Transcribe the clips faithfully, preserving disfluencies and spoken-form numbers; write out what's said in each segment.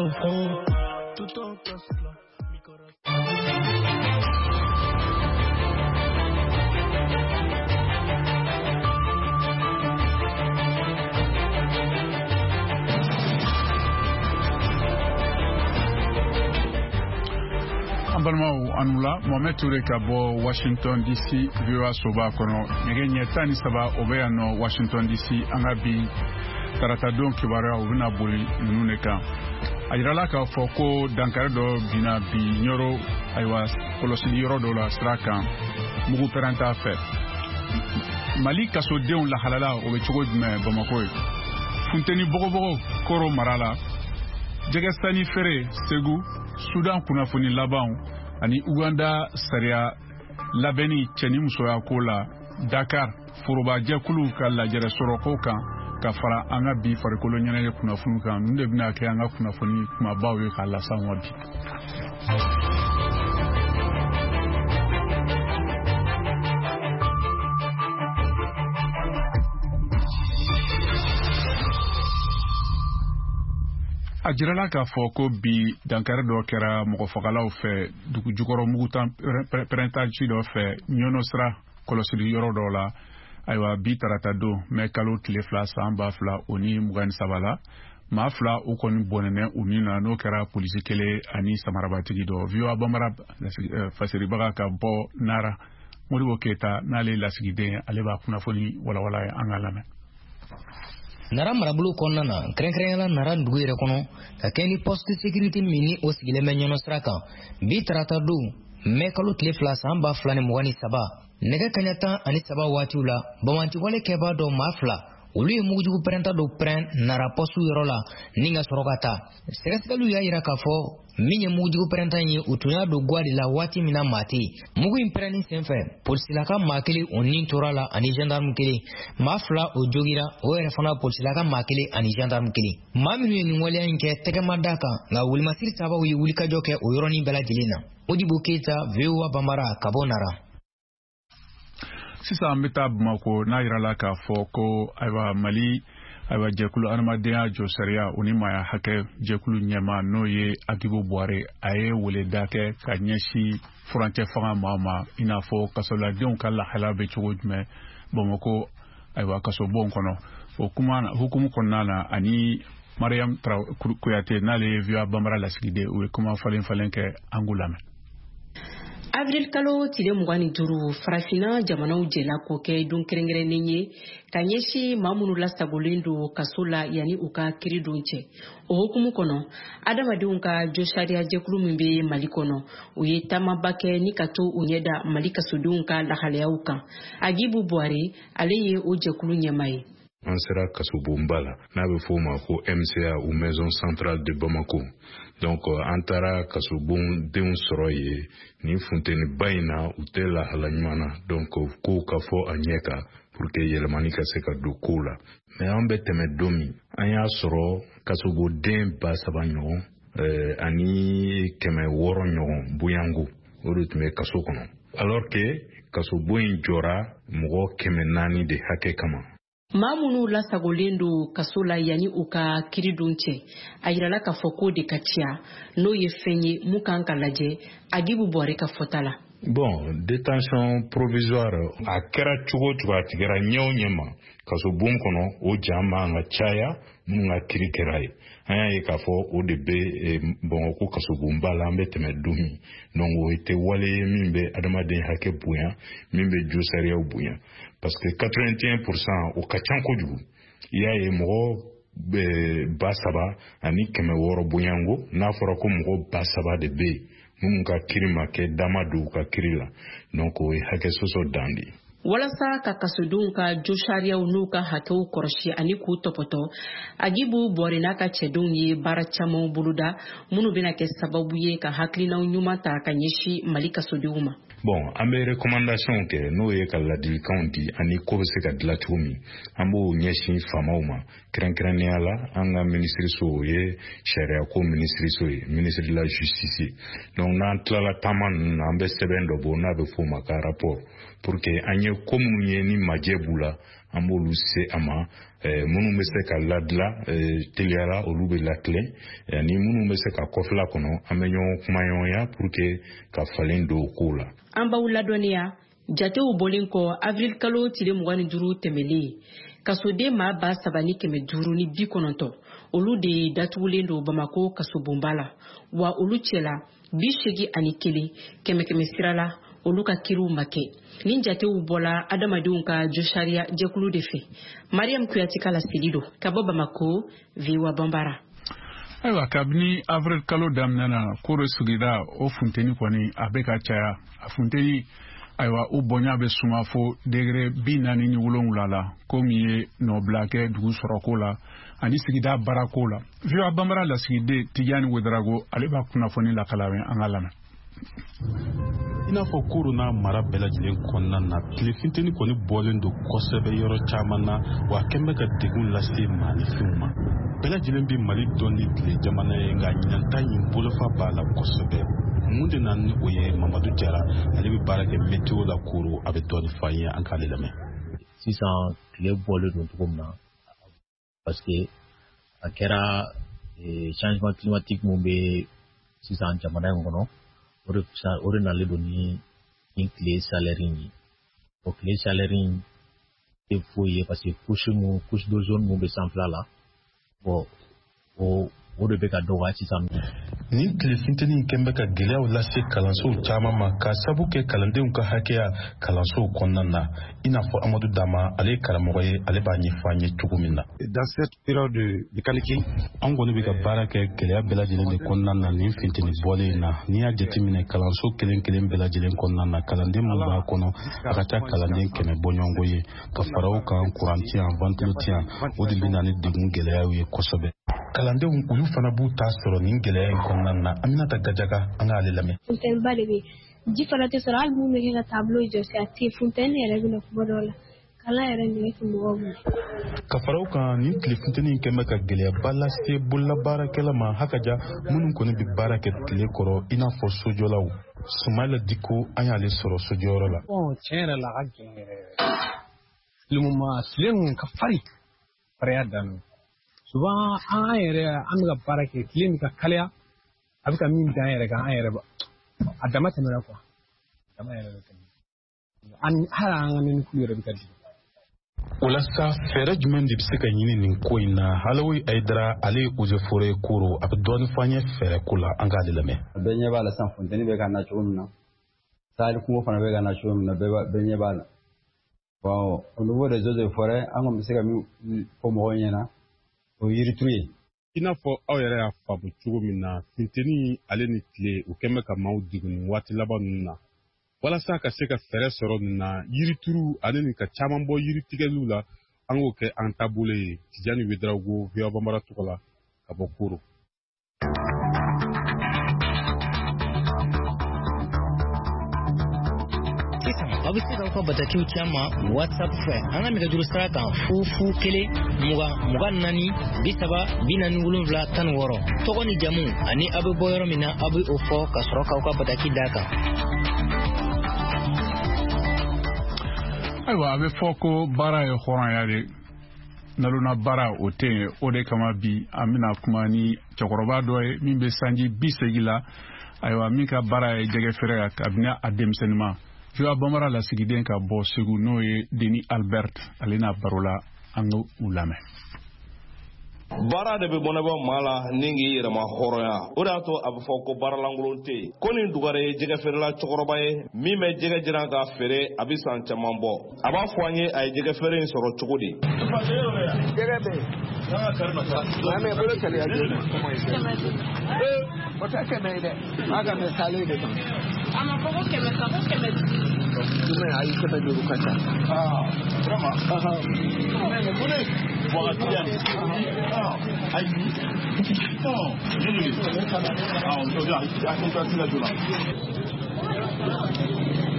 Oh, tú tocas la, mi corazón. An balimaw, anu la. Mohamed Toure ka bɔ Washington D C, V O A soba kɔnɔ. Nɛgɛ ɲɛ tan ni saba o bɛ yan nɔ Washington D C. An ka bi taratadon kibaruya, u bɛna boli ninnu de kan. A yirala k'a fɔ ko dankari dɔ binna bi Ɲɔrɔ, ayiwa, kɔlɔsili yɔrɔ dɔ la sira kan, mugu pɛrɛnta fɛ. Mali kasodenw lahalala, o bɛ cogo jumɛn Bamako ye? Funteni bɔgɔbɔgɔ Koro mara la, jɛgɛ sanni feere Segu, Sudan kunnafoni labanw ani Uganda sariya labɛnni cɛ ni musoya ko la, Dakar forobajɛkuluw ka lajɛrɛ sɔrɔko kan, ka fara an ka bi farikolo ɲɛnajɛ kunnafoni kan. Ninnu de bɛna kɛ an ka kunnafoni kumabaw ye k'a las'an ma bi. A jirala k'a fɔ ko bi dankari dɔ kɛra mɔgɔfagalaw fɛ dugu jukɔrɔ mugutan pɛrɛntaci dɔ fɛ Ɲɔnɔ sira kɔlɔsili yɔrɔ dɔ la. Ayiwa, bi tarata don, mɛ kalo tile fila, san ba fila o ni mugan ni saba la, maa fila u kɔni bɔnɛnɛ u min na, n'o kɛra polisi kelen ani samarabatigi dɔ. V O A Bambara fasiribaga ka bɔ Nara, Modibo Keyita, n'ale lasigiden, ale b'a kunnafoni walawala ye. An ka lamɛn. Nara marabolo kɔnɔna na, kɛrɛnkɛrɛnyala Nara dugu yɛrɛ kɔnɔ, ka kɛ ni poste sécurité min ni o sigilen bɛ Ɲɔnɔ sira kan, bi tarata don, mɛ kalo tile fila, san ba fila ni mugan ni saba, nɛgɛ kaɲa tan ani saba waatiw la, bamantiwale kɛbaa dɔ, maa fila, olu ye mugujugu pɛrɛnta dɔ pɛrɛn Nara poste yɔrɔ la ni ka sɔrɔ ka taa. Sɛgɛsɛgɛliw y'a yira k'a fɔ min ye mugujugu pɛrɛnta ye, u tun y'a don gwa de la waati min na maa tɛ yen. Mugu in pɛrɛnni senfɛ, polisilaka maa kelen o nin tora la ani gendarme kelen. Maa fila o jogira, o yɛrɛ fana polisilaka maa kelen ani gendarme kelen. Maa minnu ye nin waleya in kɛ, tɛgɛ ma da kan, nka wolimasiri tabaw ye wulikajɔ kɛ o yɔrɔnin bɛɛ lajɛlen na. Modibo Keyita, V O A Banbara, ka bɔ Nara. Sisan an bɛ taa Bamako, n'a yirala k'a fɔ ko, ayiwa, Mali, ayiwa, jɛkulu adamadenya jɔsariya o ni maaya hakɛ jɛkulu ɲɛma, n'o ye Agibu Buware, a ye weleda kɛ ka ɲɛsin furancɛ fanga maa ma, i n'a fɔ kasoladenw ka lahala bɛ cogo jumɛn Bamako, ayiwa, kasobon kɔnɔ. O kuma hukumu kɔnɔna na, ani Mariam Kuyate, n'ale ye V O A Bambara lasigiden, u ye kuma falen falen kɛ. An k'u lamɛn. Avril kalo tile mugan ni duuru, Farafinna jamanaw jɛla k'o kɛ don kɛrɛnkɛrɛnnen ye ka ɲɛsin maa minnu lasagolen don kaso la yanni u ka kiri don cɛ. O hukumu kɔnɔ, adamadenw ka josariya jɛkulu min bɛ Mali kɔnɔ, u ye taamaba kɛ ni ka to u ɲɛda Mali kasodenw ka lahalayaw kan. Agibu Buware, ale ye o jɛkulu ɲɛma ye. An sera kasobonba la, n'a bɛ f'o ma ko M C A ou Maison centrale de Bamako. Donc an taara kasobondenw sɔrɔ yen nin funteniba in na, u tɛ lahala ɲuman na. Donc kow ka fɔ a ɲɛ kan pour que yɛlɛmani ka se ka don kow la. Mais an bɛ tɛmɛ don min, an y'a sɔrɔ kasoboden ba saba ɲɔgɔn eh, ani kɛmɛ wɔɔrɔ ɲɔgɔn bonyango, o de tun bɛ kaso kɔnɔ, alors que kasobon in jɔra mɔgɔ kɛmɛ naani de hakɛ kama. Maa minnu lasagolen don kaso la yanni u ka kiri don cɛ, a yirala k'a fɔ k'o de ka ca, n'o ye fɛn ye mun kan ka lajɛ, Agibu Bɔre ka fɔta la. Bon, détention provisoire, a kɛra cogo o cogo, a tigɛra ɲɛ o ɲɛ ma kasobon kɔnɔ, o ja man ka caya minnu ka kiri kɛra ye. An y'a ye k'a fɔ o de bɛ Bamakɔ kasobonba la an bɛ tɛmɛ don min. Donc o tɛ wale ye min bɛ adamaden hakɛ bonya, min bɛ josariyaw bonya, parce que quatre-vingt-un pour cent, o ka ca kojugu. I y'a ye, mɔgɔ ba saba ani kɛmɛ wɔɔrɔ bonyango, n'a fɔra ko mɔgɔ ba saba de bɛ yen minnu ka kiri ma kɛ, dama don u ka kiri la, donc o ye hakɛ sɔsɔ dan de ye. Walasa ka kasodenw ka josariyaw n'u ka hakɛw kɔrɔsi ani k'u tɔpɔtɔ, Agibu Bɔre n'a ka cɛdenw ye baara camanw boloda minnu bɛna kɛ sababu ye ka hakilinaw ɲuman ta ka ɲɛsin Mali kasodenw ma. Bon, an bɛ recommandation kɛ, n'o ye ka ladilikanw di ani ko bɛ se ka dilan cogo min. An b'o ɲɛsin faamaw ma, kɛrɛnkɛrɛnnenya la an ka minisiriso, o ye sariyako minisiriso ye, ministre de la Justice. Donc n'an tilala taama ninnu na, an bɛ sɛbɛn dɔ bɔ n'a bɛ f'o ma ka rapport, pour que an ye ko minnu ye ni majɛ b'u la. an b'olu se a ma. Minnu bɛ se ka ladila teliyara, olu bɛ latilen, ani minnu bɛ se ka kɔfɛla kɔnɔ, an bɛ ɲɔgɔn kumaɲɔgɔnya pour que ka falen don o kow la. An b'aw ladɔnniya jatew bɔlen kɔ avril kalo tile mugan ni duuru tɛmɛlen, kasoden maa ba saba ni kɛmɛ duuru ni bi kɔnɔntɔn olu de datugulen don Bamako kasobonba la, wa olu cɛla bi seegin ani kelen kɛmɛ kɛmɛ sira la olu ka kiriw ma kɛ. Nin jatew bɔla adamadenw ka josariya jɛkulu de fɛ. Mariam Kuyate ka laseli don ka bɔ Bamako, V O A Banbara. Ayiwa, kabini avril kalo daminɛ na, Koro sigida o funteni kɔni a bɛ ka caya. A funteni, ayiwa, o bonya bɛ suma fo degré bi naani ni wolonwula la, ko min ye nɔbila kɛ dugu sɔrɔko la ani sigida baarako la. V O A Banbara lasigiden Tijani Wedarago, ale b'a kunnafoni lakala an ka lamɛn. I n'a fɔ Koro n'a mara bɛɛ lajɛlen kɔnɔna na, tile funteni kɔni bɔlen don kosɛbɛ yɔrɔ caman na, wa a kɛn bɛ ka degun lase maanifinw ma. Bɛɛ lajɛlen bɛ Mali dɔn ni tile jamana ye, nka ɲinan ta in bolofa b'a la kosɛbɛ. Mun de nana ni o ye? Mamadu Jara, ale bɛ baara kɛ météo la Koro, a bɛ dɔɔnin fɔ an ye, an k'ale lamɛn. Sisan tile bɔlen don cogo min na, parce que a kɛra changement climatique mun bɛ sisan jamana in kɔnɔ, o de o de nalen don ni ni tile chaleur in ye. O tile chaleur in tɛ foyi ye, parce que couche mun couche d'ozone mun bɛ sanfɛla la, bon o o de bɛ ka dɔgɔya sisan. Nin tile funteni in kɛn bɛ ka gɛlɛyaw lase kalansow caman ma, k'a sabu kɛ kalandenw ka hakɛya kalansow kɔnɔna na. I n'a fɔ Amadu Dama, ale ye karamɔgɔ ye, ale b'a ɲɛfɔ an ye cogo min na. Dans cette période de canicule, an kɔni bɛ ka baara kɛ gɛlɛya bɛɛ lajɛlen de kɔnɔna na nin funteni bɔlen in na. N'i y'a jateminɛ kalanso kelen kelen bɛɛ lajɛlen kɔnɔna na, kalanden min b'a kɔnɔ a ka ca kalanden kɛmɛ bɔɲɔgɔnko ye, ka fara o kan kuran ti yan, ventilo ti yan, o de bɛ na ni degun gɛlɛyaw ye kosɛbɛ. Kalandenw olu fana b'u ta sɔrɔ nin gɛlɛya in kɔnɔna na. Aminata Gajaga, an k'ale lamɛn. Funteniba de bɛ yen, ji fana tɛ sɔrɔ, hali mun bɛ kɛ ka tableau jɔsi a tɛ yen, funteni yɛrɛ bɛ na kuma dɔw la, kalan yɛrɛ nege tɛ mɔgɔw minɛ. Ka fara o kan, nin tile funteni in kɛn bɛ ka gɛlɛyaba lase bololabaarakɛla ma hakaja minnu kɔni bɛ baara kɛ tile kɔrɔ, i n'a fɔ sojɔlaw. Sumayila Diko, an y'ale sɔrɔ sojɔyɔrɔ la. Tiɲɛ yɛrɛ la, a ka gɛlɛn yɛrɛ yɛrɛ. Le moment tile ninnu ka farin, farinya dan don. Souvent an yɛrɛ an bɛ ka baara kɛ tile min ka kalaya, a bɛ ka min dan yɛrɛ kan, an yɛrɛ ba a dama tɛmɛna quoi, dama yɛrɛ bɛ tɛmɛ, ani hali an ka nɛnɛkulu yɛrɛ bɛ ka jigin. O la sa, fɛɛrɛ jumɛn de bɛ se ka ɲini nin ko in na? Halawi Ayidara, ale ye eaux et forêts Koro, a bɛ dɔɔnin fɔ an ye fɛɛrɛ ko la, an k'ale lamɛn. Bɛɛ ɲɛ b'a la sisan, funteni bɛ ka na cogo min na, sahel kungo fana bɛ ka na cogo min na, bɛɛ ɲɛ b'a la. Bon, au niveau des eaux et forêts, an kɔni bɛ se ka min fɔ mɔgɔw ɲɛna, o ye yirituru ye. I n'a fɔ aw yɛrɛ y'a faamu cogo min na, funteni ale ni tile o kɛn bɛ ka maaw degun nin waati laban ninnu na. Walasa ka se ka fɛɛrɛ sɔrɔ nin na, yirituru ale ni ka caman bɔ yiritigɛliw la, an k'o kɛ an taabolo ye. Tijani Wedarago, V O A Banbara tɔgɔ la, ka bɔ Koro. Sisan aw bɛ se k'aw ka batakiw ci an ma WhatsApp fɛ an ka nɛgɛjuru sira kan fu fu kelen mugan mugan naani bi saba bi naani wolonwula tan ni wɔɔrɔ. Tɔgɔ ni jamu ani aw bɛ bɔ yɔrɔ min na, aw bɛ o fɔ ka sɔrɔ k'aw ka bataki d'a kan. Ayiwa, a bɛ fɔ ko baara ye hɔrɔnya de, nalona baara o tɛ yen. O de kama bi an bɛna kuma ni cɛkɔrɔba dɔ ye min bɛ sanji bi seegin la, ayiwa, min ka baara ye jɛgɛ feere ye kabini a denmisɛnninma. V O A Banbara lasigiden ka bɔ Segu, n'o ye Denis Albert, ale n'a baro la, an k'u lamɛn. Baara de bɛ bɔnɛbɔ maa la ni k'i yɛrɛma hɔrɔnya, o de y'a to a bɛ fɔ ko baaralankolon tɛ yen. Ko nin dugare ye jɛgɛfeerela cɛkɔrɔba ye min bɛ jɛgɛ jiran k'a feere, a bɛ san caman bɔ. A b'a fɔ an ye a ye jɛgɛfeere in sɔrɔ cogo di. Jɛgɛ bɛ yen. Mɛ bolo kɛlɛya joona. O tɛ kɛmɛ ye dɛ, a ka mɛ salen de kan. A ma fɔ ko kɛmɛ sa, ko kɛmɛ duuru. Jumɛn, ayi, kɛmɛ duuru ka ca. Aa, vraiment. Ayi.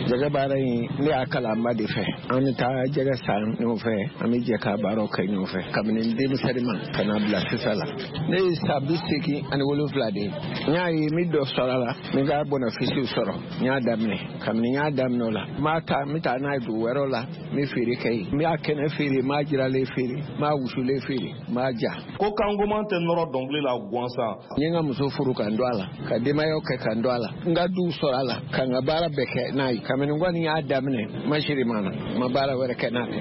Jɛgɛ baara in, ne y'a kalan n ba de fɛ. An bɛ taa jɛgɛ san ɲɔgɔn fɛ, an bɛ jɛ ka baaraw kɛ ɲɔgɔn fɛ. Kabini n denmisɛnnin ma ka na bila sisan la. Ne ye san bi seegin ani wolonwula de ye. N y'a ye n bɛ dɔ sɔrɔ a la, n bɛ ka bɔnɔfisiw sɔrɔ. N y'a daminɛ. Kabini n y'a daminɛ o la, n b'a ta, n bɛ taa n'a ye dugu wɛrɛw la, n bɛ feere kɛ yen. N b'a kɛnɛ feere, n b'a jiralen feere, n b'a wusulen feere, n b'a ja. Ko kangoman tɛ nɔrɔ dɔnkili la gansan. N ye n ka muso furu ka n don a la, ka denbayaw kɛ ka n don a la, n ka duw sɔrɔ a la, ka n ka baara bɛɛ kɛ n'a ye. Kabini n kɔni y'a daminɛ, n ma siri ma na, n ma baara wɛrɛ kɛ n'a tɛ.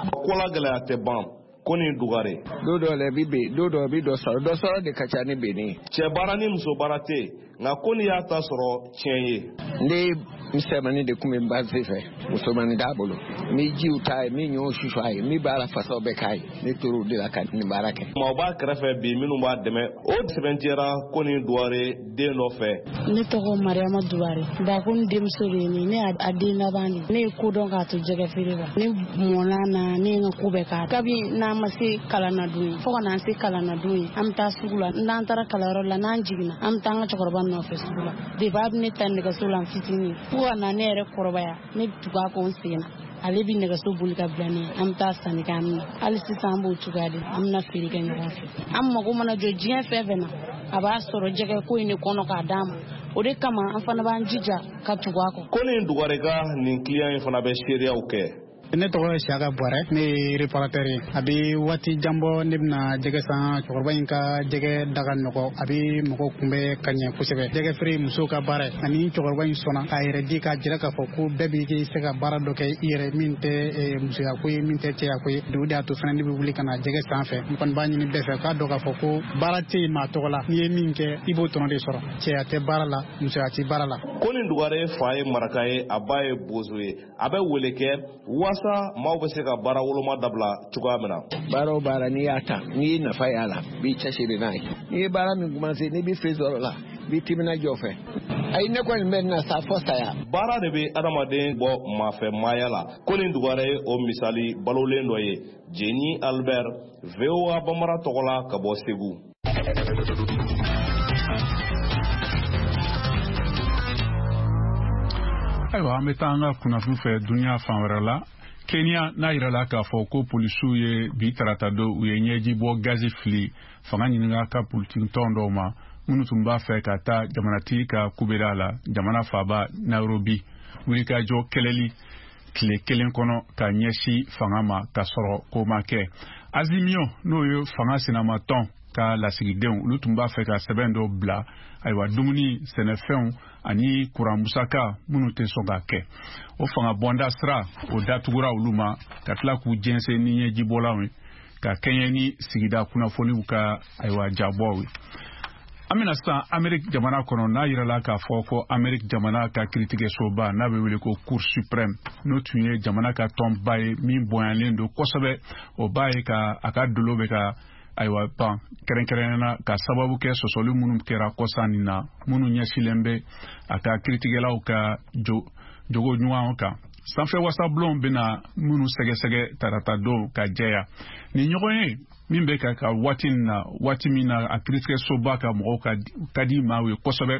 Ko la gɛlɛya tɛ ban. Ko nin dugare. Don dɔw la i bɛ ben, don dɔw i bɛ dɔ sɔrɔ, dɔ sɔrɔ de ka ca ni benni ye. Cɛ baara ni muso baara tɛ yen, nka ko n'i y'a ta sɔrɔ tiɲɛ ye. Ne misɛnmanin de tun bɛ n ba sen fɛ, musomanin t'a bolo. N bɛ jiw ta ye, n bɛ ɲɔw susu a ye, n bɛ baara fasaw bɛɛ k'a ye. Ne tor'o de la ka nin baara kɛ. Maaw b'a kɛrɛfɛ bi minnu b'a dɛmɛ, o sɛbɛntiyara ko nin dugare den dɔ fɛ. Ne tɔgɔ Mariama Dugare. Bako ni denmuso de ye ne ye, ne y'a den laban de ye. Ne ye ko dɔn k'a to jɛgɛ feere la. Ne mɔnna na, ne ye n ka ko bɛɛ k'a. Kabi n'an ma se kalan na don ye, fo ka n'an se kalan na don ye, an bɛ taa sugu la. N'an taara kalanyɔrɔ la, n'an jiginna, an bɛ taa an ka cɛkɔrɔba nɔfɛ sugu la. Depuis a bɛ ne ta nɛgɛso la n fitinin, fo ka na ne yɛrɛ kɔrɔbaya, ne bɛ tugu a kɔ n sen na. Ale bɛ nɛgɛso boli ka bila ne ye, an bɛ taa sanni kɛ an bɛ na. Hali sisan an b'o cogoya de la, an bɛna feere kɛ ɲɔgɔn fɛ. An mago mana jɔ diɲɛ fɛn fɛn na, a b'a sɔrɔ jɛgɛ ko in de kɔnɔ k'a d'an ma. O de kama an fana b'an jija ka tugu a kɔ. Ko nin dugare ka nin kiliyan in fana bɛ seereyaw kɛ. Ne tɔgɔ ye Siaka Buwarɛ, ne ye réparateur ye. A bɛ waati jan bɔ ne bɛna jɛgɛ san, cɛkɔrɔba in ka jɛgɛ da ka nɔgɔ, a bɛ mɔgɔw kunbɛn ka ɲɛ kosɛbɛ. Jɛgɛ feere ye musow ka baara ye, ani cɛkɔrɔba in sɔnna k'a yɛrɛ di k'a jira k'a fɔ ko bɛɛ b'i se ka baara dɔ kɛ i yɛrɛ min tɛ musoya ko ye, min tɛ cɛya ko ye. O de y'a to fana ne bɛ wuli ka na jɛgɛ san fɛ. N kɔni b'a ɲini bɛɛ fɛ k'a dɔn k'a fɔ ko baara tɛ yen maa tɔgɔ la, n'i ye min kɛ i b'o tɔnɔ de sɔrɔ. Cɛya tɛ baara la, musoya tɛ baara la. Ko nin dugare fa ye maraka ye, a ba ye bozo ye, a bɛ wele kɛ waasa maaw bɛ se ka baara woloma dabila cogoya min na. Baara o baara n'i y'a ta, n'i ye nafa y'a la, b'i cɛsiri n'a ye. N'i ye baara min commencé, n'i bɛ fɛn sɔrɔ la, b'i timinadiya o fɛ. Ayi, ne kɔni bɛ na sa fo saya. Baara de bɛ adamaden bɔ maafɛ maaya la. Ko nin dugare ye o misali balolen dɔ ye. Jeni Albert, V O A Bambara tɔgɔ la ka bɔ Segu. Ayiwa, an bɛ taa an ka kunnafoni fɛ dunuya fan wɛrɛ la. Kenya n'a yirala k'a fɔ ko polisiw ye bi tarata don u ye ɲɛji bɔ gazi fili fanga ɲininka ka politiki tɔn dɔw ma minnu tun b'a fɛ ka taa jamanatigi ka kubeda la jamana faaba Nairobi wulikajɔ kɛlɛli tile kelen kɔnɔ ka ɲɛsin fanga ma ka sɔrɔ ko ma kɛ. Azimio n'o ye fanga sinamatɔn ka lasigidenw olu tun b'a fɛ ka sɛbɛn dɔ bila ayiwa dumuni sɛnɛfɛnw ani kuran musaka minnu tɛ sɔn ka kɛ o fanga bɔnda sira o datugura olu ma ka tila k'u jɛnsɛn ni ɲɛjibɔlanw ye ka kɛɲɛ ni sigida kunnafoniw ka ayiwa jabɔw ye. An bɛna sisan Amerique jamana kɔnɔ n'a yirala k'a fɔ ko Amerique jamana ka kiiritigɛsoba n'a bɛ wele ko Cour suprême n'o tun ye jamana ka tɔnba ye min bonyalen don kosɛbɛ o b'a ye ka a ka dolo bɛ ka ayiwa ban kɛrɛnkɛrɛnnenya ka sababu kɛ sɔsɔli minnu kɛra kɔsa nin na minnu ɲɛsilen bɛ a ka kiiritigɛlaw ka jo jogo ɲumanw kan. Sanfɛ wasabulon bɛna minnu sɛgɛsɛgɛ tarata don ka jɛya nin ɲɔgɔn ye min bɛ ka ka waati nin na waati min na a kiiritigɛsoba ka mɔgɔw ka ka di maaw ye kosɛbɛ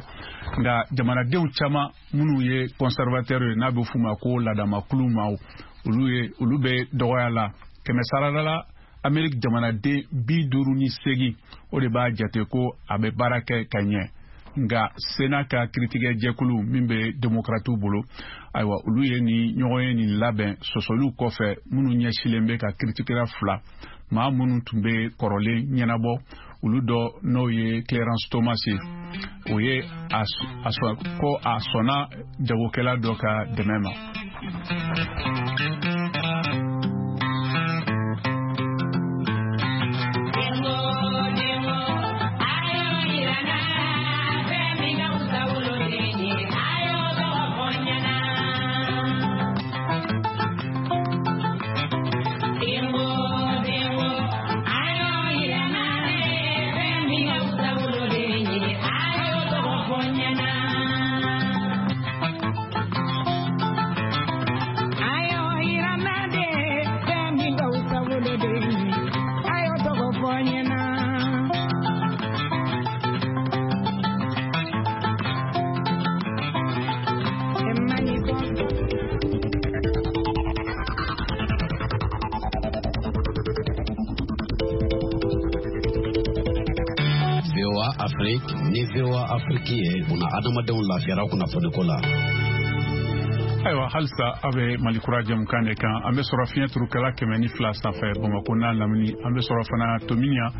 nka jamanadenw caman minnu ye conservateur ye n'a bɛ f'u ma ko ladamakulu maaw olu ye olu bɛ dɔgɔya la kɛmɛ sarada la Amerique jamanaden bi duuru ni seegin o de b'a jate ko a bɛ baara kɛ ka ɲɛ nka Sénat ka kiiritigɛjɛkulu min bɛ démocratew bolo ayiwa olu ye nin ɲɔgɔn ye nin labɛn sɔsɔliw kɔfɛ minnu ɲɛsilen bɛ ka kiiritigɛla fila maa minnu tun bɛ kɔrɔlen ɲɛnabɔ olu dɔ n'o ye Clarence Thomas ye o ye a ko a sɔnna jagokɛla dɔ ka dɛmɛ ma. Ayo Afrique ni V O A Afrique ye buna adamadenw lafiyara kunnafoniko la. Ayiwa, halisa a bɛ Malikura jɛmukan de kan. An bɛ sɔrɔ fiɲɛ turukala kɛmɛ ni fila sanfɛ Bamakɔ n'a lamini. An bɛ sɔrɔ fana Tominian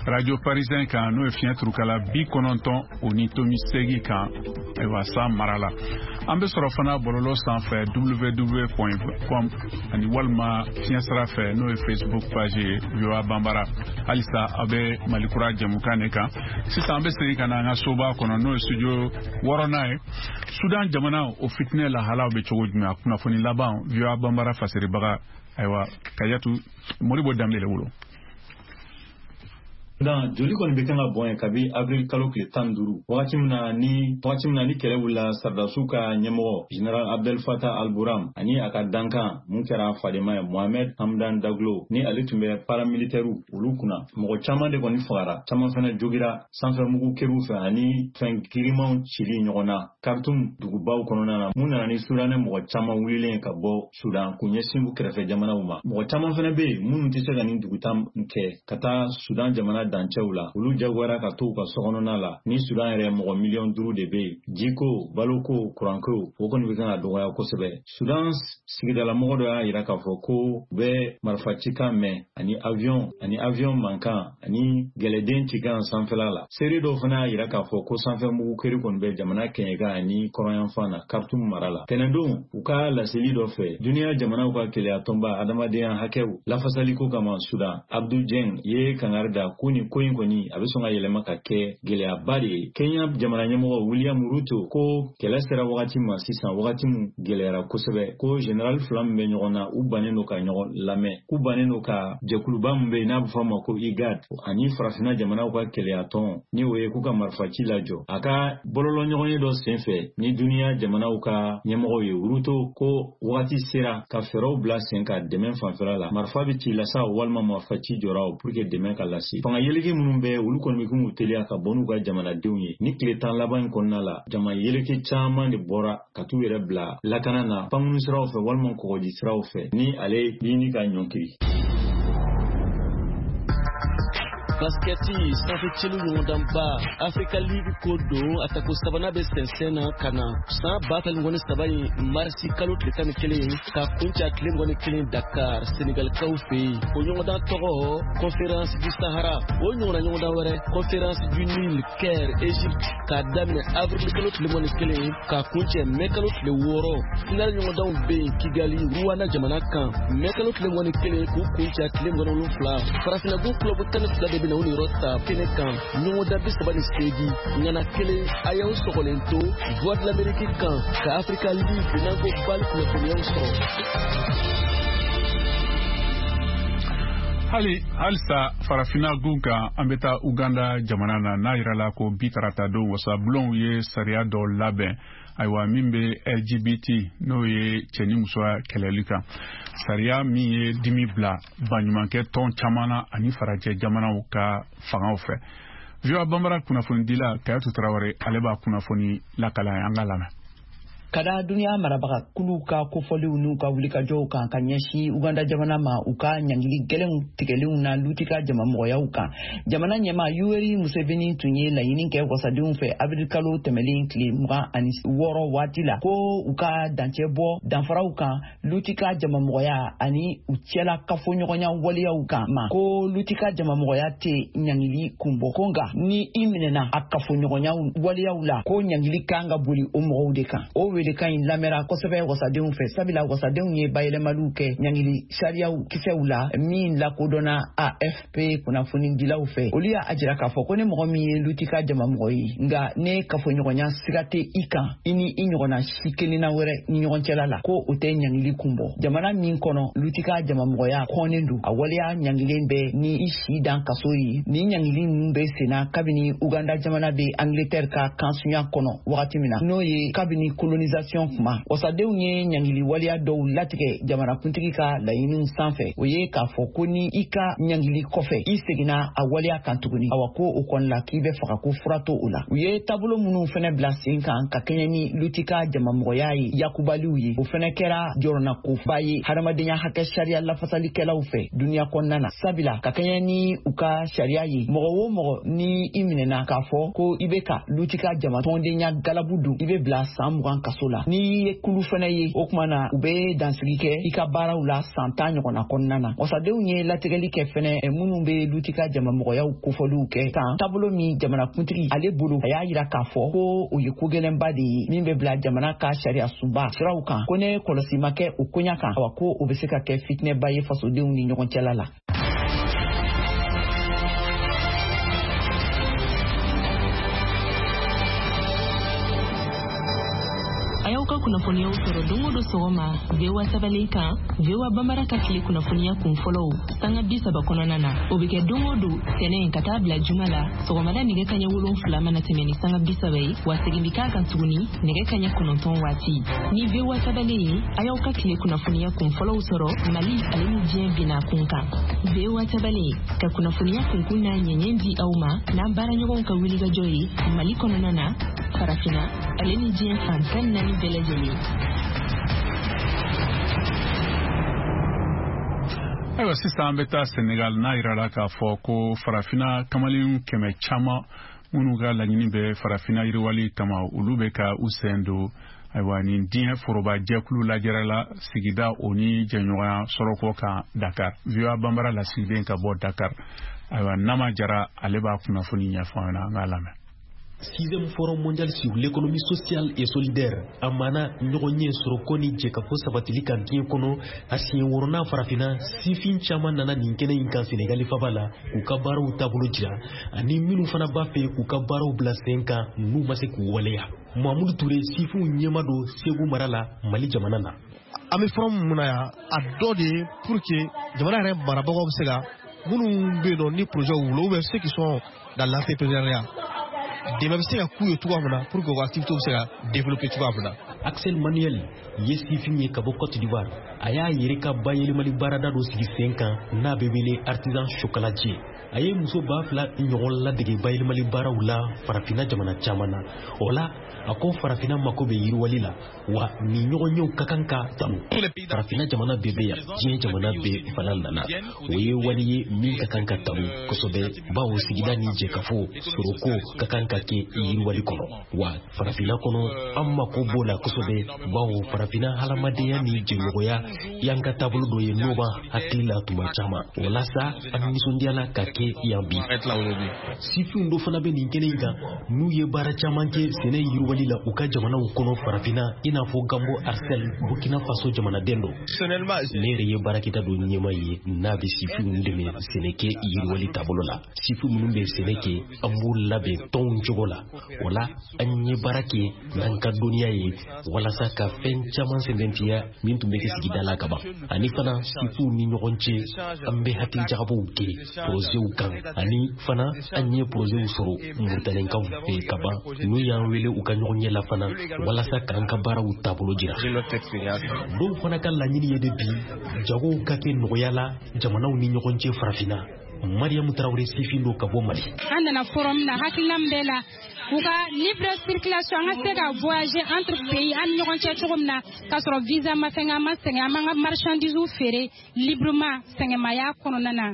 Radio Parisien kan, n'o ye fiɲɛ turukala bi kɔnɔntɔn o ni tomi seegin kan, ayiwa, san mara la. An bɛ sɔrɔ fana bɔlɔlɔ sanfɛ w w w point com ani walima fiɲɛ sira fɛ, n'o ye Facebook page ye V O A Banbara. Halisa a bɛ Malikura jɛmukan de kan. Sisan an bɛ segin ka na an ka soba kɔnɔ, n'o ye studio wɔɔrɔnan ye. Sudan jamana o fitinɛ lahalaw bɛ cogo jumɛn? A kunnafoni laban V O A Banbara fasiribaga, ayiwa, Kajatu Moribo Danbele bolo. Sudan joli kɔni bɛ kan ka bɔn yen kabi avril kalo tile tan ni duuru, wagati min na ni wagati min na ni kɛlɛ wulila sardasiw ka ɲɛmɔgɔ General Abdel Fattah al-Burhan ani a ka dankan mun kɛra fadenma ye Mohamed Hamdan Daglo, ni ale tun bɛ paramilitaires olu kunna. Mɔgɔ caman de kɔni fagara, caman fana jogira sanfɛmugu keriw fɛ ani fɛn girimanw cili ɲɔgɔn na Khartoum dugubaw kɔnɔna na, mun nana ni Sudanɛ mɔgɔ caman wulilen ka bɔ Sudan k'u ɲɛsin u kɛrɛfɛ jamanaw ma. Mɔgɔ caman fana bɛ yen minnu tɛ se ka nin duguta kɛ ka taa Sudan jamana dancɛw la, olu jagoyara ka to u ka sokɔnɔna la. Ni Sudan yɛrɛ mɔgɔ miliyɔn duuru de bɛ yen, jiko, baloko, kuranko, o kɔni bɛ kan ka dɔgɔya kosɛbɛ. Sudan sigidalamɔgɔ dɔ y'a yira k'a fɔ ko u bɛ marifacikan mɛn ani avion ani avion mankan ani gɛlɛden cikan sanfɛla la. Seere dɔw fana y'a yira k'a fɔ ko sanfɛmugu keri kɔni bɛ jamana kɛɲɛka ani kɔrɔnyanfan na Khartoum mara la. Tɛnɛndon u ka laseli dɔ fɛ, duniya jamanaw ka keleya tɔnba adamadenya hakɛw lafasaliko kama Sudan, Abdou Dieng ye kangari da ko nin ko in kɔni a bɛ sɔn ka yɛlɛma ka kɛ gɛlɛyaba de ye. Kenya jamana ɲɛmɔgɔ William Ruto ko kɛlɛ sera wagati ma sisan, wagati min gɛlɛyara kosɛbɛ, ko général fila min bɛ ɲɔgɔn na, u bannen don ka ɲɔgɔn lamɛn, k'u bannen don ka jɛkuluba min bɛ yen n'a bɛ fɔ a ma ko I G A D ani farafinna jamanaw ka kɛlɛyatɔn, ni o ye k'u ka marifaci lajɔ. A ka bɔlɔlɔ ɲɔgɔnye dɔ senfɛ ni duniya jamanaw ka ɲɛmɔgɔw ye, Ruto ko wagati sera ka fɛɛrɛw bila sen ka dɛmɛ fanfɛla la, marifa bɛ ci la sa walima marifaci jɔra o pour que dɛmɛ ka lase. Fanga yeleke minnu bɛ olu kɔni bɛ k'u teliya ka bɔ n'u ka jamanadenw ye. Ni tile tan laban in kɔnɔna la, jama yeleke caman de bɔra ka t'u yɛrɛ bila lakana na pankuru siraw fɛ walima kɔgɔji siraw fɛ, ni ale ɲini ka ɲɔnkiri. Basketi sanfɛ celu ɲɔgɔndanba Africa League ko don a tako sabanan bɛ sɛnsɛn na ka na san ba fila mugan ni saba in marisi kalo tile tan ni kelen ka kuncɛ a tile mugan ni kelen Dakar Senegalikaw fɛ yen. O ɲɔgɔndan tɔgɔ Conférence du Sahara. O ɲɔgɔnna ɲɔgɔndan wɛrɛ Conférence du Nil Caire Égypte k'a daminɛ avril kalo tile mugan ni kelen ka kuncɛ mai kalo tile wɔɔrɔ. Final ɲɔgɔndanw bɛ yen Kigali Rwanda jamana kan mai kalo tile mugan ni kelen k'u kuncɛ a tile mugan ni wolonfila. Farafinna club tan ni fila de bɛ na u niyɔrɔ ta kɛnɛ kan ɲɔgɔndan bi saba ni seegin ŋana kelen a y'aw sɔgɔlen to Voix de l'Amérique kan ka Africa League n'an ko bali kunnafoniyaw sɔrɔ. Hali halisa farafinna gun kan, an bɛ taa Uganda jamana na, n'a yirala ko bi tarata don wasabulonw ye sariya dɔ labɛn, ayiwa, min bɛ L G B T, n'o ye cɛ ni musoya kɛlɛli kan, sariya min ye dimi bila baɲumankɛ tɔn caman na ani farajɛ jamanaw ka fangaw fɛ. V O A Banbara kunnafonidila Kayatu Tarawele, ale b'a kunnafoni lakala an ka lamɛn. Ka da duniya marabaga kuluw ka kofɔliw n'u ka wulikajɔw kan ka ɲɛsin Uganda jamana ma, u ka ɲangili gɛlɛnw tigɛlenw na lutika jamamɔgɔyaw kan, jamana ɲɛmaa Yoweri Museveni tun ye laɲini kɛ wasadenw fɛ avril kalo tɛmɛlen tile mugan ani wɔɔrɔ waati la ko u ka dancɛ bɔ danfaraw kan lutika jamamɔgɔya ani u cɛla kafoɲɔgɔnya waleyaw kan ma, ko lutika jamamɔgɔya tɛ ɲangili kun bɔ, ko nka ni i minɛna a kafoɲɔgɔnya waleyaw la ko ɲangili kan ka boli o mɔgɔw de kan. O welekan in lamɛnra kosɛbɛ wasadenw fɛ, sabula wasadenw ye bayɛlɛmaliw kɛ ɲangili sariyaw kisɛw la min lakodɔnna A F P kunnafonidilaw fɛ. Olu y'a jira k'a fɔ ko ni mɔgɔ min ye lutika jamamɔgɔ ye nka ne kafoɲɔgɔnya siga tɛ i kan i ni i ɲɔgɔnna si kelenna wɛrɛ ni ɲɔgɔn cɛla la, ko o tɛ ɲangili kun bɔ. Jamana min kɔnɔ lutika jamamɔgɔya kɔnnen don, a waleya ɲangilen bɛ ni i si dan kaso ye. Ni ɲangili ninnu bɛ senna kabini Uganda jamana bɛ Angleterre ka kansunya kɔnɔ wagati min na, n'o ye kabini colonisation mobilisation kuma. Wasadenw ye ɲangili waleya dɔw latigɛ jamanakuntigi ka laɲiniw sanfɛ. O ye k'a fɔ ko ni i ka ɲangili kɔfɛ i seginna a waleya kan tuguni, awa ko o kɔni la k'i bɛ faga, ko fura to o la. U ye taabolo minnu fɛnɛ bila sen kan ka kɛɲɛ ni luti ka jamamɔgɔya ye yakubaliw ye, o fɛnɛ kɛra jɔrɔnakoba ye hadamadenya hakɛ sariya lafasalikɛlaw fɛ duniya kɔnɔna na. Sabila ka kɛɲɛ ni u ka sariya ye, mɔgɔ o mɔgɔ ni i minɛna k'a fɔ ko i bɛ ka luti ka jama tɔndenya galabu don, i bɛ bila san mugan kaso la. N'i ye kulu fɛnɛ ye, o kuma na u bɛ dansigi kɛ i ka baaraw la san tan ɲɔgɔnna kɔnɔna na. Wasadenw ye latigɛli kɛ fɛnɛ minnu bɛ luti ka jamamɔgɔyaw kofɔliw kɛ kan, taabolo min jamanakuntigi ale bolo, a y'a yira k'a fɔ ko o ye ko gɛlɛnba de ye min bɛ bila jamana ka sariya sunba siraw kan, ko ne kɔlɔsi ma kɛ o koɲa kan, awa ko o bɛ se ka kɛ fitinɛba ye fasodenw ni ɲɔgɔn cɛla la. A y'aw ka kunnafoniyaw sɔrɔ don o don sɔgɔma V O A sabalen kan, V O A Bambara ka tile kunnafoniya kun fɔlɔw sanga bi saba kɔnɔna na. O bɛ kɛ don o don tɛnɛn ka taa bila juma la sɔgɔmada nɛgɛ kaɲɛ wolonfila mana tɛmɛ ni sanga bi saba ye, wa segin bɛ k'a kan tuguni nɛgɛ kaɲɛ kɔnɔntɔn waati. Ni V O A sabalen ye, a y'aw ka tile kunnafoniya kun fɔlɔw sɔrɔ Mali ale ni diɲɛ binna kun kan. V O A sabalen ka kunnafoniya kunkun n'a ɲɛɲɛ di aw ma n'an baaraɲɔgɔnw ka wulikajɔ ye Mali kɔnɔna na, Farafinna ale ni diɲɛ fan tan ni naani bɛɛ lajɛlen. Ayiwa, sisan an bɛ taa Senegal n'a yirala k'a fɔ ko farafinna kamalen kɛmɛ caman minnu ka laɲini bɛ farafinna yiriwali kama, olu bɛ ka u sen don ayiwa nin diɲɛ foroba jɛkulu lajɛrɛ la sigida o ni jɛɲɔgɔnya sɔrɔko kan Dakar. V O A Bambara lasigiden ka bɔ Dakar, ayiwa Nama Jara, ale b'a kunnafoni ɲɛfɔ an ɲɛna, an k'a lamɛn. Sixième forum mondial sur l'économie sociale et solidaire a mana ɲɔgɔn ye sɔrɔko ni jɛkafɔ sabatili kan diɲɛ kɔnɔ, a siɲɛ wɔɔrɔnan farafinna. Sifin caman nana nin kɛnɛ in kan Senegali faba la k'u ka baaraw taabolo jira, ani minnu fana b'a fɛ k'u ka baaraw bila sen kan n'u ma se k'u waleya. Mamudu Ture, sifinw ɲɛma don Segu mara la, Mali jamana na. An bɛ forum mun na yan, a dɔ de ye pour que jamana yɛrɛ marabagaw bɛ se ka minnu bɛ yen nɔ ni projet b'u bolo, ou bien ceux qui sont dans l'entrepreneuriat, dɛmɛ bɛ se ka k'u ye cogoya min na pour que u ka activité bɛ se ka développer cogoya min na. Axel Manuel ye sifin ye ka bɔ Côte d'Ivoire. A y'a yɛrɛ ka bayɛlɛmali baarada dɔ sigi sen kan n'a bɛ wele artisan chocolatier. A ye muso ba fila ɲɔgɔn ladege bayɛlɛmali baaraw la farafinna jamana caman na. O la, a ko farafinna mako bɛ yiriwali la, wa nin ɲɔgɔnyew ka kan ka tanu. Farafinna jamana bɛɛ bɛ yan, diɲɛ jamana bɛɛ fana nana. O ye wali ye min ka kan ka tanu kosɛbɛ, bawo sigida ni jɛkafo sɔrɔko ka kan ka kɛ yiriwali kɔnɔ. Wa farafinna kɔnɔ, an mako b'o la kosɛbɛ, bawo farafinna hadamadenya ni jɛɲɔgɔnya y'an ka taabolo dɔ ye n'o b'an hakili la tuma caman. Walasa an nisɔndiyala ka kɛ yan bi. Sifinw dɔ fana bɛ nin kɛnɛ in kan n'u ye baara caman kɛ sɛnɛ yiriwali la u ka jamanaw kɔnɔ farafinna, i n'a fɔ Gambo Arsel, Burkina Faso jamanaden don. Ne yɛrɛ ye baarakɛta dɔ ɲɛmaa ye n'a bɛ sifinw dɛmɛ sɛnɛ kɛ yiriwali taabolo la. Sifin minnu bɛ sɛnɛ kɛ, an b'u labɛn tɔnw cogo la. O la, an ye baara kɛ n'an ka dɔnniya ye walasa ka fɛn caman sɛmɛntiya min tun bɛ kɛ sigida la kaban. Ani fana sifinw ni ɲɔgɔn cɛ, an bɛ hakilijagabɔw kɛ projetw kan, ani fana an ye projetw sɔrɔ Mauritanienkaw fɛ kaban n'u y'an wele u ka ɲɔgɔn ɲɛ la fana walasa k'an ka baaraw taabolo jira. Dɔw fana ka laɲini ye de bi jagow ka kɛ nɔgɔya la jamanaw ni ɲɔgɔn cɛ farafinna. Mariam Traoré, sifin don ka bɔ Mali. An nana forum na, hakilina min bɛ la, u ka libre circulation, an ka se ka voyager entre pays, an ni ɲɔgɔn cɛ cogo min na k'a sɔrɔ visa ma fɛn, an ma sɛgɛn, an b'an ka marchandise feere librement sɛgɛnmaya kɔnɔna na.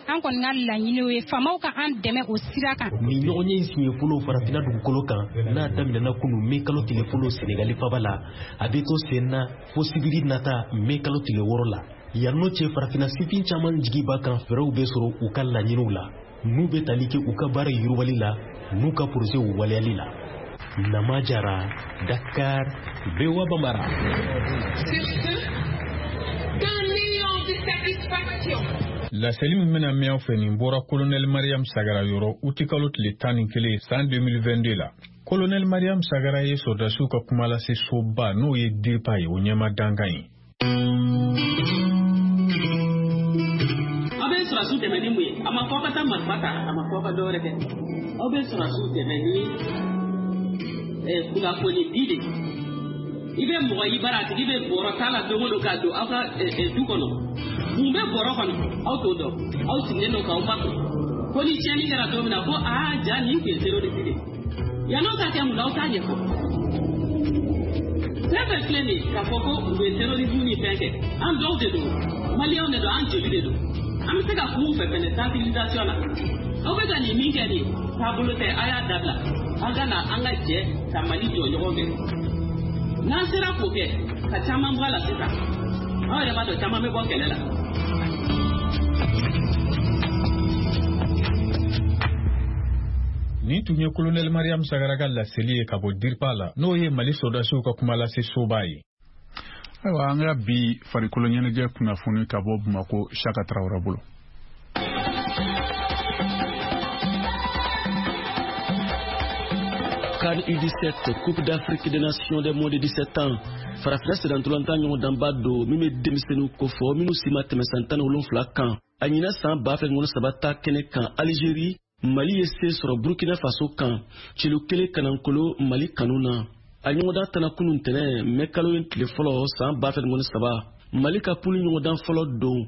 An kɔni ka laɲini ye faamaw ka an dɛmɛ o sira kan. Nin ɲɔgɔnye in siɲɛ fɔlɔ farafinna dugukolo kan n'a daminɛna kunu mai kalo tile fɔlɔ Senegali faba la, a bɛ to sen na fo sibiri nata mai kalo tile wɔɔrɔ la. Yan n'o cɛ, farafinna sifin caman jigi b'a kan fɛɛrɛw bɛ sɔrɔ u ka laɲiniw la n'u bɛ tali kɛ u ka baara yiriwali la n'u ka projetw waleyali la. Nama Jara, Dakar, V O A Bambara. Sur ce, qu'un élan de satisfaction. Laseli min bɛna mɛn aw fɛ, nin bɔra Colonel Mariam Sagara yɔrɔ utikalo tile tan ni kelen san deux mille vingt-deux la. Colonel Mariam Sagara ye sɔrɔdasiw ka kumalase soba n'o ye DIRPA ye, o ɲɛma dankan ye. Aw bɛ sɔrɔdasiw dɛmɛ ni mun ye? A ma fɔ aw ka taa marifa ta, a ma fɔ aw ka dɔwɛrɛ kɛ. Aw bɛ sɔrɔdasiw dɛmɛ ni kunnafoni di de. I bɛ mɔgɔ i bara a tigi bɛ bɔrɔ t'a la don o don k'a don aw ka du kɔnɔ. Mun bɛ bɔrɔ kɔnɔ aw t'o dɔn, aw sigilen don k'aw makun. Ko ni tiɲɛni kɛra don min na ko aa ja nin tun ye terroriste de ye. Yann'o ka kɛ mun na aw t'a ɲɛfɔ. Fɛn fɛn filɛ nin ye k'a fɔ ko u bɛ terrorisme ni fɛn kɛ, an dɔw de don, maliyɛnw de don, an joli de don. An bɛ se ka kuma u fɛ fɛnɛ sensibilisation na. Aw bɛ ka nin min kɛ nin ye, taabolo tɛ, a y'a dabila. An ka na an ka jɛ ka Mali jɔ ɲɔgɔn fɛ. N'an sera k'o kɛ, ka caman bɔ a la sisan. Aw yɛrɛ b'a dɔn caman bɛ bɔ kɛlɛ la. Nin tun ye Kolonɛli Mariam Sagara ka laseli ye ka bɔ DIRPA la, n'o ye Mali sɔrɔdasiw ka kumalase soba ye. Ayiwa, an ka bi farikolo ɲɛnajɛ kunnafoni ka bɔ Bamakɔ Saka Tarawele bolo. CAN U dix-sept, Coupe d'Afrique des Nations des moins de dix-sept ans. Farafinna sennantolatan ɲɔgɔndanba don min bɛ denmisɛnninw kofɔ minnu si ma tɛmɛ san tan ni wolonfila kan. A ɲinan san ba fila ni mugan ni saba ta kɛnɛ kan Algérie, Mali ye se sɔrɔ Burkina Faso kan celu kelen kanankolo Mali kanu na. A ɲɔgɔndan tana kunun tɛnɛ mɛ kalo in tile fɔlɔ san ba fila ni mugan ni saba. Mali ka pulu ɲɔgɔndan fɔlɔ don.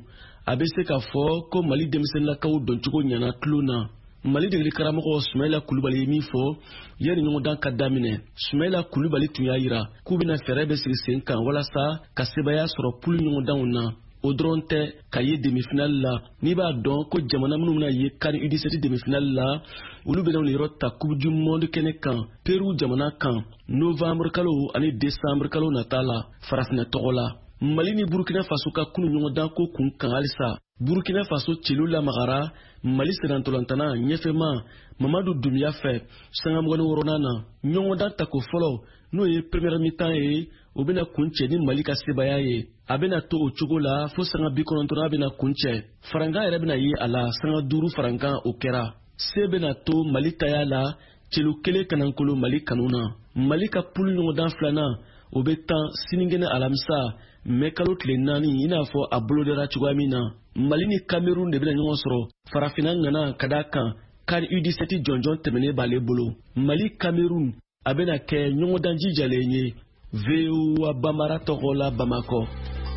A bɛ se k'a fɔ ko Mali denmisɛnninlakaw doncogo ɲɛna tulon na. Mali degeli karamɔgɔ Sumayila Kulubali ye min fɔ yanni ɲɔgɔndan ka daminɛ. Sumayila Kulubali tun y'a yira k'u bɛna fɛɛrɛ bɛ sigi sen kan walasa ka sebaaya sɔrɔ pulu ɲɔgɔndanw na. O dɔrɔn tɛ ka ye demi-finale la. N'i b'a dɔn ko jamana minnu bɛna ye CAN U dix-sept demi-finale la, olu bɛna u yɔrɔ ta Coupe du monde kɛnɛ kan Peru jamana kan novembre kalo ani décembre kalo nata la farafinna tɔgɔ la. Mali ni Burkina Faso ka kunu ɲɔgɔndan ko kun kan halisa. Burkina Faso celu lamagara Mali sennantolantana ɲɛfɛma Mamadu Dunbiya fɛ sanga mugan ni wɔɔrɔnan na. Ɲɔgɔndan tako fɔlɔ n'o ye première mi-temps ye, o bɛna kuncɛ ni Mali ka sebaaya ye. A bɛna to o cogo la fo sanga bi kɔnɔntɔnnan bɛna kuncɛ. Farankan yɛrɛ bɛna ye a la sanga duuru farankan o kɛra. Se bɛna to Mali taya la celu kelen kanankolo Mali kanu na. Mali ka pulu ɲɔgɔndan filanan o bɛ tan sinikɛnɛ alamisa mɛ kalo tile naani i n'a fɔ a bolodara cogoya min na. Mali ni Cameroun de bɛna ɲɔgɔn sɔrɔ farafinna ŋana ka d'a kan CAN U dix-sept jɔnjɔn tɛmɛnen b'ale bolo. Mali Cameroun a bɛna kɛ ɲɔgɔndan jijalen ye. V O A Bambara tɔgɔ la Bamakɔ,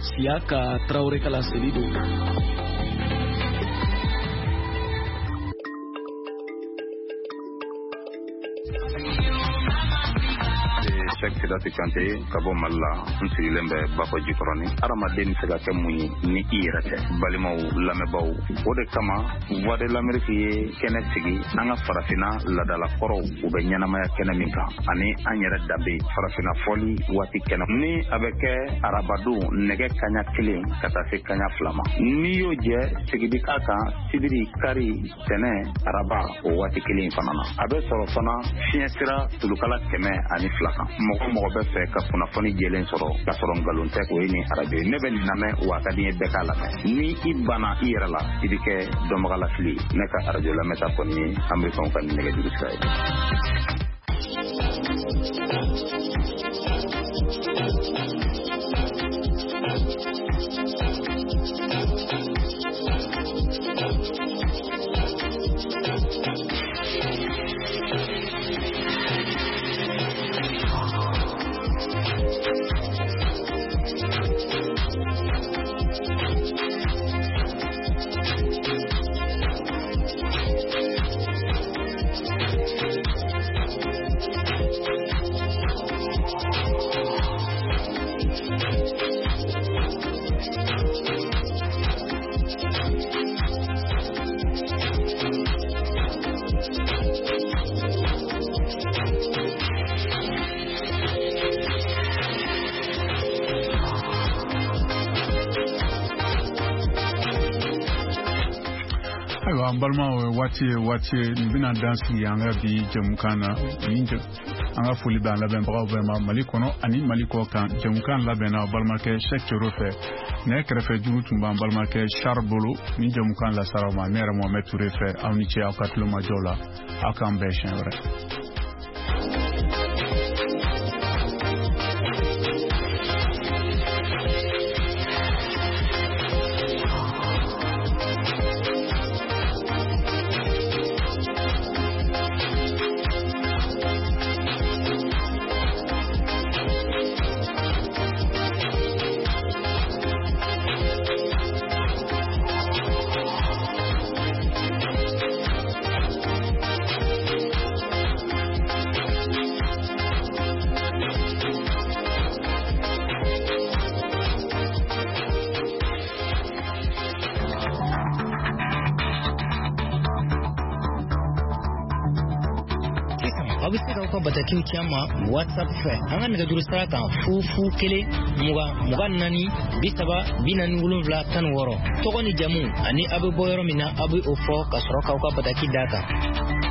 Siyaka Tarawele ka laseli don. Cheikh Sidati Kante ka bɔ Mali la, n sigilen bɛ Bakɔ Jikɔrɔni. Hadamaden bɛ se ka kɛ mun ye ni i yɛrɛ tɛ? Balimaw, lamɛnbaaw, o de kama Voix de l'Amérique ye kɛnɛ sigi an ka farafinna laadalakɔrɔw u bɛ ɲɛnamaya kɛnɛ min kan ani an yɛrɛ danbe farafinna fɔli waati kɛnɛ ni a bɛ kɛ arabadon nɛgɛ kaɲa kelen ka taa se kaɲa fila ma. N'i y'o jɛ sigi bi k'a kan sibiri, kari, tɛnɛ, araba o waati kelen fana na. A bɛ sɔrɔ fana fiɲɛ sira tulukala kɛmɛ ani fila kan. Mɔgɔ mɔgɔ bɛ fɛ ka kunnafoni jɛlen sɔrɔ k'a sɔrɔ nkalon tɛ, o ye nin arajo ye. Ne bɛ nin lamɛn wa a ka di n ye bɛɛ k'a lamɛn. Ni i banna i yɛrɛ la, i bɛ kɛ dɔnbagalafili ye. Ne ka arajo lamɛnta kɔni ye Amerikɛnw ka nin nɛgɛjuru sira ye. Ayiwa, an balimaw, waati ye waati ye nin bɛna dan sigi an ka bi jɛmukan na. Nin an ka foli bɛ an labɛnbagaw bɛɛ ma Mali kɔnɔ ani Mali kɔ kan. Jɛmukan labɛnna balimakɛ Cheikh Cero fɛ, nɛgɛ kɛrɛfɛ juru tun b'an balimakɛ Charles bolo. Nin jɛmukan lasara ma ne yɛrɛ Mohamed Touré fɛ. Aw ni ce aw ka tulomajɔ la. Aw k'an bɛn siɲɛ wɛrɛ. k'aw ka batakiw ci an ma WhatsApp fɛ an ka nɛgɛjuru sira kan fu fu kelen mugan mugan naani bi saba bi naani wolonwula tan ni wɔɔrɔ. Tɔgɔ ni jamu ani aw bɛ bɔ yɔrɔ min na, aw bɛ o fɔ ka sɔrɔ k'aw ka bataki d'a kan.